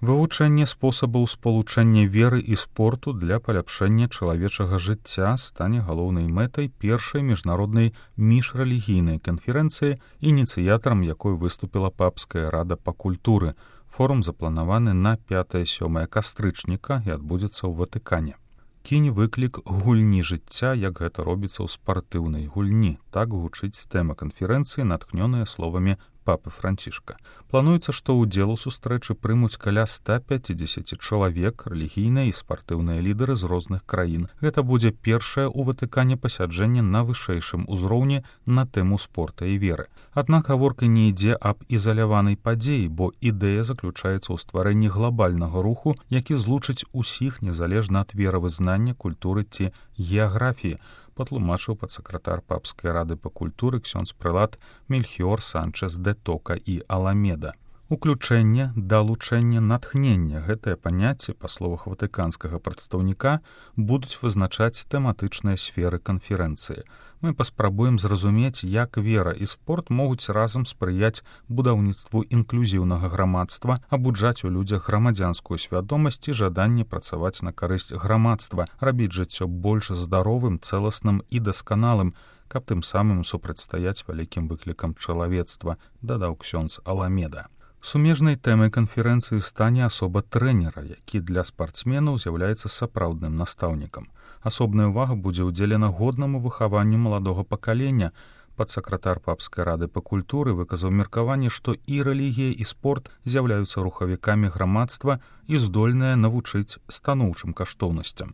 Вывучэнне спосабаў спалучэння веры і спорту для паляпшэння чалавечага жыцця стане галоўнай мэтай першай міжнароднай міжрэлігійнай канферэнцыі, ініцыятарам якой выступіла Папская рада па культуры. Форум запланаваны на 5-7 кастрычніка і адбудзецца ў Ватыкане. Кінь выклік гульні жыцця, як гэта робіцца ў спартыўнай гульні. Так гучыць тэма канферэнцыі, натхнёная словамі папы Францішка. Плануецца, што ўдзел у сустрэчы прымуць каля 150 чалавек, рэлігійныя і спартыўныя лідары з розных краін. Гэта будзе першае ў Ватыкане пасяджэнне на вышэйшым узроўні на тэму спорта і веры. Аднак гаворка не ідзе аб ізаляванай падзеі, бо ідэя заключаецца ў стварэнні глобальнага руху, які злучыць усіх незалежна ад веравызнання, культуры ці геаграфіі, патлумачыў падсакратар Папскай рады па культуры ксёндз-прэлат Мельхіор Санчес де Тока і Аламеда. Уключэнне, далучэнне, натхнення — гэтае паняцце, па словах ватыканскага прадстаўніка, будуць вызначаць тэматычныя сферы канферэнцыі. Мы паспрабуем зразумець, як вера і спорт могуць разам спрыяць будаўніцтву інклюзіўнага грамадства, абуджаць у людзях грамадзянскую свядомасць і жаданне працаваць на карысць грамадства, рабіць жыццё больш здаровым, цэласным і дасканалым, каб тым самым супрацьстаяць вялікім выклікам чалавецтва, дадаў ксёндз Аламеда. Сумежнай тэмай канферэнцыі стане асоба трэнера, які для спартсменаў з'яўляецца сапраўдным настаўнікам. Асобная ўвага будзе ўдзелена годнаму выхаванню маладога пакалення. Падсакратар Папскай рады па культуры выказаў меркаванне, што і рэлігія, і спорт з'яўляюцца рухавікамі грамадства і здольныя навучыць станоўчым каштоўнасцям.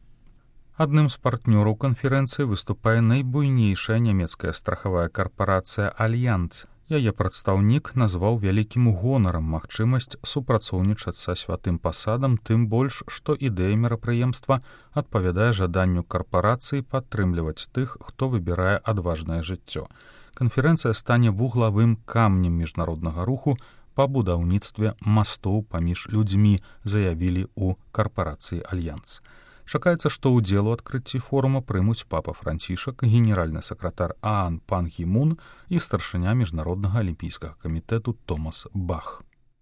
Адным з партнёраў канферэнцыі выступае найбуйнейшая нямецкая страхавая карпарацыя «Альянц». Яе прадстаўнік назваў вялікім гонарам магчымасць супрацоўнічаць са святым пасадам, тым больш, што ідэя мерапрыемства адпавядае жаданню карпарацыі падтрымліваць тых, хто выбірае адважнае жыццё. Канферэнцыя стане вуглавым камнем міжнароднага руху па будаўніцтве мастоў паміж людзьмі, заявілі ў карпарацыі «Альянц». Чакаецца, што ўдзел у адкрыцці форума прымуць папа Францішак, генеральны сакратар ААН Пан Гі Мун і старшыня міжнароднага алімпійскага камітэту Томас Бах.